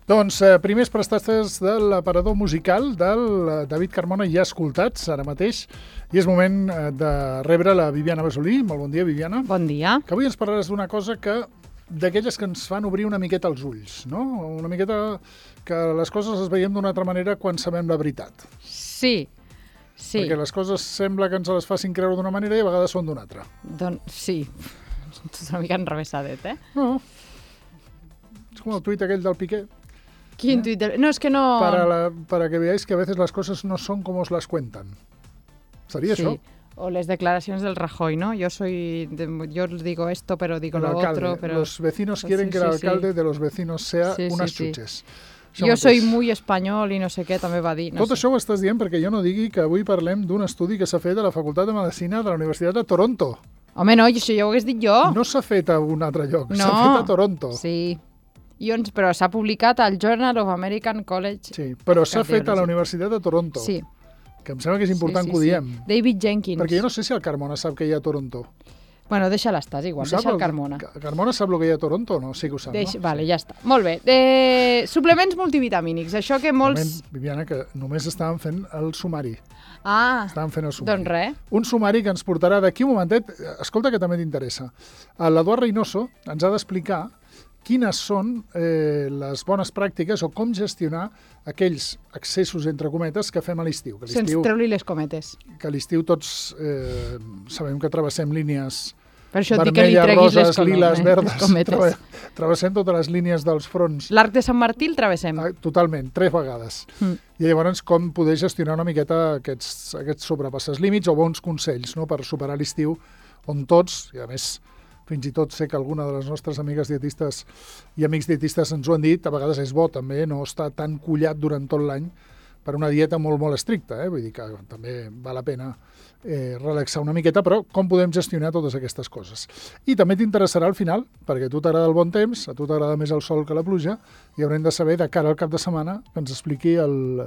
Doncs primers prestatges de l'aparador musical del David Carmona ja escoltats ara mateix i és moment de rebre la Viviana Besolí. Molt bon dia, Viviana. Bon dia. Que avui ens parlaràs d'una cosa d'aquelles que ens fan obrir una miqueta els ulls, no? Una miqueta que les coses les veiem d'una altra manera quan sabem la veritat. Sí. Perquè les coses sembla que ens les facin creure d'una manera i a vegades són d'una altra. Doncs sí. És una mica enrevessadet, No. És com el tuit aquell del Piqué. ¿Quin tuit? No, es que no... Para que veáis que a veces las cosas no son como os las cuentan. ¿Sería eso? O les declaraciones del Rajoy, ¿no? Yo os digo esto, pero digo lo otro. Pero... Los vecinos quieren que el alcalde de los vecinos sea unas xuches. Jo soy muy espanyol i no sé què, també va dir. Tot això ho estàs dient perquè jo no digui que avui parlem d'un estudi que s'ha fet a la Facultat de Medicina de la Universitat de Toronto. Home, no, això ja ho hagués dit jo. No s'ha fet a un altre lloc, no. S'ha fet a Toronto. Sí, però s'ha publicat al Journal of American College. Sí, però s'ha fet a la Universitat de Toronto. Sí. Que em sembla que és important que ho diem. David Jenkins. Perquè jo no sé si el Carmona sap que hi ha a Toronto. Bueno, deixa-la estar, igual, deixa el Carmona. Carmona sap el que hi ha a Toronto o no? Sí que ho sap, no? Vale, ja està. Molt bé. Suplements multivitamínics, això que molts... Moment, Viviana, que només estàvem fent el sumari. Estàvem fent el sumari. Doncs res. Un sumari que ens portarà d'aquí un momentet, escolta que també t'interessa. L'Eduard Reynoso ens ha d'explicar quines són les bones pràctiques o com gestionar aquells accessos, entre cometes, que fem a l'estiu. Sense treu-li les cometes. Que a l'estiu tots sabem que travessem línies vermelles, roses, liles, verdes. Travessem totes les línies dels fronts. L'Arc de Sant Martí el travessem. Totalment, 3 vegades. I llavors com poder gestionar una miqueta aquests sobrepasses límits o bons consells, no?, per superar l'estiu on tots, i a més fins i tot sé que alguna de les nostres amigues dietistes i amics dietistes ens ho han dit, a vegades és bo també no estar tan collat durant tot l'any per una dieta molt, molt estricta. Vull dir que també val la pena relaxar una miqueta, però com podem gestionar totes aquestes coses. I també t'interessarà al final, perquè a tu t'agrada el bon temps, a tu t'agrada més el sol que la pluja, i haurem de saber, de cara al cap de setmana, que ens expliqui el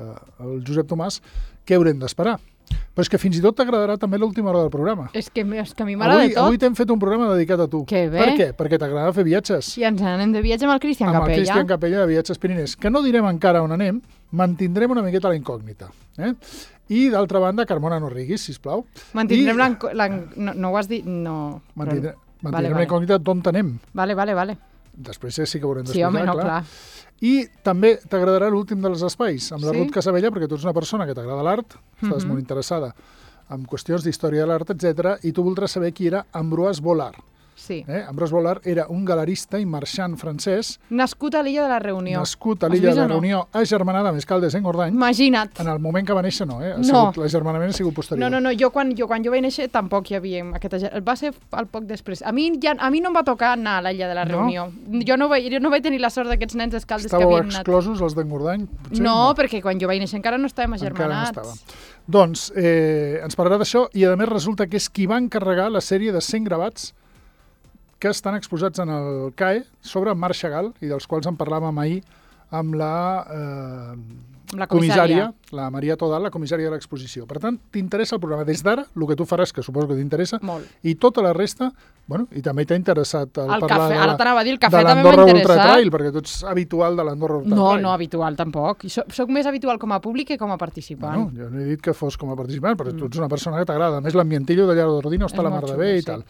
Josep Tomàs què haurem d'esperar. Però és que fins i tot t'agradarà també l'última hora del programa. És que a mi m'agrada tot. Avui t'hem fet un programa dedicat a tu. Que bé. Per què? Perquè t'agrada fer viatges. I ens anem de viatge amb el Cristian Capella. Amb el Cristian Capella de Viatges Piriners, que no direm encara on anem, mantindrem una miqueta la incògnita. I, d'altra banda, Carmona, no riguis, sisplau. Mantindrem no ho has dit? No. Mantindrem la incògnita d'on anem. Vale. Després sí que ho haurem d'explicar, sí, home, no, clar. I també t'agradarà l'últim dels espais, amb la Ruth Casabella, perquè tu ets una persona que t'agrada l'art, estàs molt interessada en qüestions d'història de l'art, etc. I tu voldràs saber qui era Ambroise Vollard. Sí. Ambroise Vollard era un galerista i marxant francès. Nascut a l'illa de la Reunió. Nascut a l'illa de la Reunió, agermanada amb Escaldes en Gordany. Imagina't. En el moment que va néixer no, l'agermanament ha sigut posterior. No, jo quan vaig néixer tampoc hi havia aquest agermanament. Va ser al poc després. A mi no em va tocar anar a l'illa de la Reunió. Jo no vaig tenir la sort d'aquests nens d'Escaldes que havien anat. Estàveu exclosos els d'Engordany? No, perquè quan jo vaig néixer encara no estàvem agermanats. Encara no estàvem. Doncs ens parlarà d'això i a més resulta que és qui va encarregar la sèrie de 100 gravats que estan exposats en el CAE sobre Marc Chagall i dels quals en parlàvem ahir amb la comissària, la Maria Todal, la comissària de l'exposició. Per tant, t'interessa el programa des d'ara, el que tu faràs, que suposo que t'interessa, i tota la resta, i també t'ha interessat parlar de l'Andorra Ultra Trail, perquè tu ets habitual de l'Andorra Ultra Trail. No, habitual tampoc. Soc més habitual com a públic que com a participant. Jo no he dit que fos com a participant, però tu ets una persona que t'agrada. A més, l'ambientillo de Llarg d'Ordino està a la mar de bé i tal.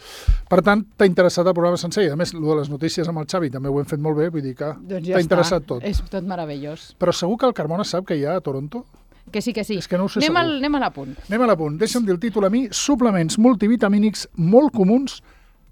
Per tant, t'ha interessat el programa sencer. I a més, el de les notícies amb el Xavi també ho hem fet molt bé, vull dir que t'ha interessat tot. És tot meravellós. Però segur que el Carmona sap que hi ha a Toronto? Que sí. És que no ho sé segur. Anem a l'apunt. Deixa'm dir el títol a mi. Suplements multivitamínics molt comuns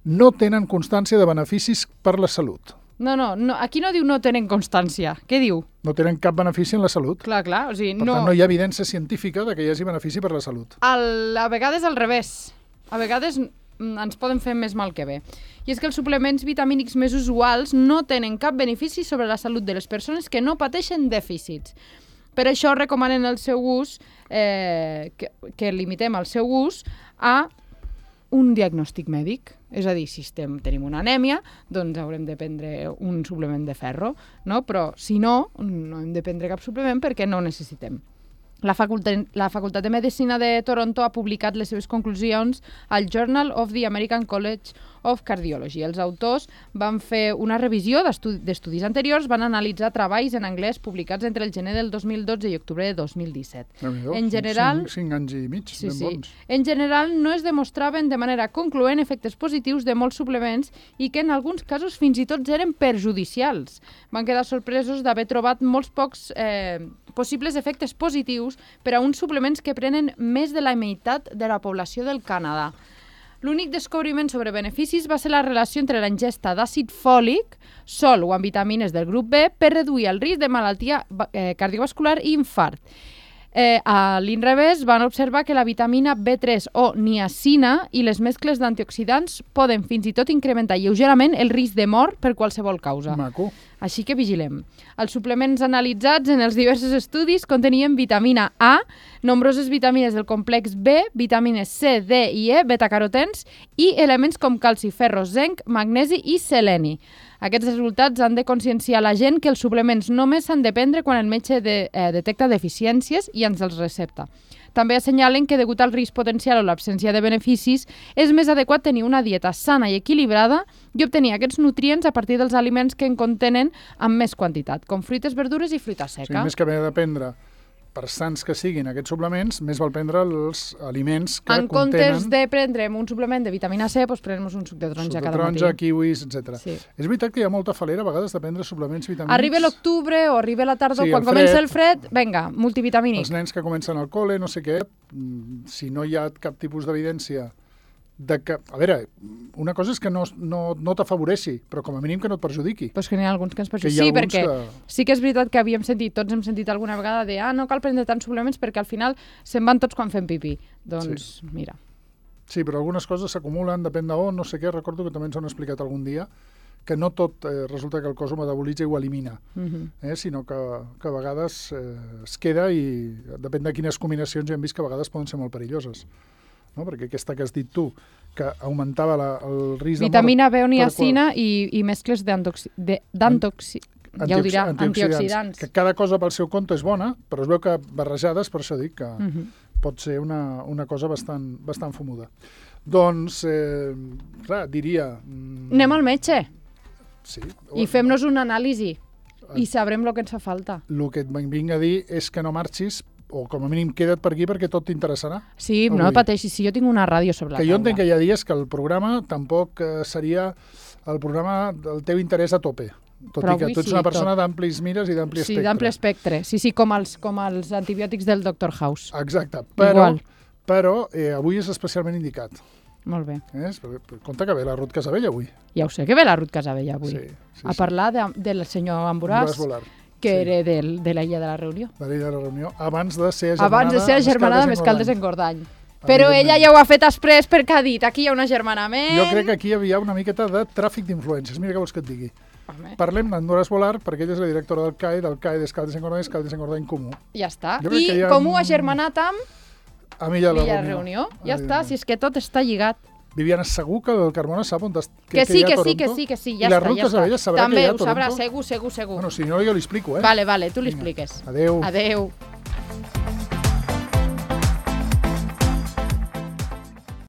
no tenen constància de beneficis per la salut. No, aquí no diu no tenen constància. Què diu? No tenen cap benefici en la salut. Clar, o sigui, per tant, no hi ha evidència científica de que hi hagi benefici per la salut. A vegades al revés. A vegades ens poden fer més mal que bé. I és que els suplements vitamínics més usuals no tenen cap benefici sobre la salut de les persones que no pateixen dèficits. Per això recomanen el seu ús, que limitem el seu ús a un diagnòstic mèdic. És a dir, si tenim una anèmia, doncs haurem de prendre un suplement de ferro, no? Però si no hem de prendre cap suplement perquè no necessitem. La Facultat de Medicina de Toronto ha publicat les seves conclusions al Journal of the American College of Cardiology. Els autors van fer una revisió d'estudis anteriors, van analitzar treballs en anglès publicats entre el gener del 2012 i octubre de 2017. En general, 5 anys i mig, ben bons. En general, no es demostraven de manera concloent efectes positius de molts suplements i que en alguns casos fins i tot eren perjudicials. Van quedar sorpresos d'haver trobat molts pocs possibles efectes positius per a uns suplements que prenen més de la meitat de la població del Canadà. L'únic descobriment sobre beneficis va ser la relació entre la ingesta d'àcid fòlic, sol o amb vitamines del grup B, per reduir el risc de malaltia cardiovascular i infart. A l'inrevés, van observar que la vitamina B3 o niacina i les mescles d'antioxidants poden fins i tot incrementar lleugerament el risc de mort per qualsevol causa. Maco. Així que vigilem. Els suplements analitzats en els diversos estudis contenien vitamina A, nombroses vitamines del complex B, vitamines C, D i E, betacarotens i elements com calci, ferro, zinc, magnesi i seleni. Aquests resultats han de conscienciar la gent que els suplements només s'han de prendre quan el metge detecta deficiències i ens els recepta. També assenyalen que, degut al risc potencial o l'absència de beneficis, és més adequat tenir una dieta sana i equilibrada i obtenir aquests nutrients a partir dels aliments que en contenen amb més quantitat, com fruites, verdures i fruita seca. O sigui, més que haver de prendre, per sants que siguin aquests suplements, més val prendre els aliments que contenen... En comptes de prendre'm un suplement de vitamina C, doncs prenem un suc de taronja cada matí. Suc de taronja, kiwis, etc. Sí. És veritat que hi ha molta falera a vegades de prendre suplements vitamínics. Arriba l'octubre o arriba la tardor, quan comença el fred, vinga, multivitamínic. Els nens que comencen al col·le, no sé què, si no hi ha cap tipus d'evidència de que... A veure, una cosa és que no t'afavoreixi, però com a mínim que no et perjudiqui. Pues que n'hi ha alguns que ens perjudiquen. Sí, perquè sí que és veritat que tots hem sentit alguna vegada de no cal prendre tants suplements perquè al final se'n van tots quan fem pipí. Doncs mira. Sí, però algunes coses s'acumulen, depèn d'on, no sé què, recordo que també ens ho han explicat algun dia, que no tot resulta que el cos ho metabolitza i ho elimina, sinó que a vegades es queda i depèn de quines combinacions ja hem vist que a vegades poden ser molt perilloses. No? Perquè aquesta que has dit tu, que augmentava el risc de mort... Vitamina B o niacina i mescles antioxidants. Que cada cosa pel seu compte és bona, però es veu que barrejades, per això dic que pot ser una cosa bastant fumuda. Doncs, clar, diria... Anem al metge. Sí. I fem-nos una anàlisi i sabrem el que ens fa falta. El que et vinc a dir és que no marxis, o com a mínim queda't per aquí perquè tot t'interessarà. Sí, no pateixis, si jo tinc una ràdio sobre la taula. Que jo entenc que hi ha dies que el programa tampoc seria el programa del teu interès a tope, tot i que tu ets una persona d'amplis mires i d'ampli espectre. Sí, d'ampli espectre, sí, com els antibiòtics del Dr. House. Exacte, però avui és especialment indicat. Molt bé. Compte que ve la Ruth Casabella avui. Ja ho sé que ve la Ruth Casabella avui. A parlar del senyor Amboràs, que era de l'illa de la Reunió. De l'illa de la Reunió, abans de ser agermanada amb Escaldes Engordany. Però ella ja ho ha fet després perquè ha dit, aquí hi ha un agermanament... Jo crec que aquí hi havia una miqueta de tràfic d'influències. Mira què vols que et digui. Parlem d'Andorras Volar, perquè ella és la directora del CAE d'Escaldes Engordany Comú. Ja està. I Comú agermanat amb l'illa de la Reunió. Ja està, si és que tot està lligat. Viviana, segur que el Carmona sap on que sí, ja està. I la Ruth Casabella sabrà que hi ha a Toronto? També ho sabrà, segur. Bueno, si no, jo li explico, Vale, tu li expliques. Adéu. Adéu.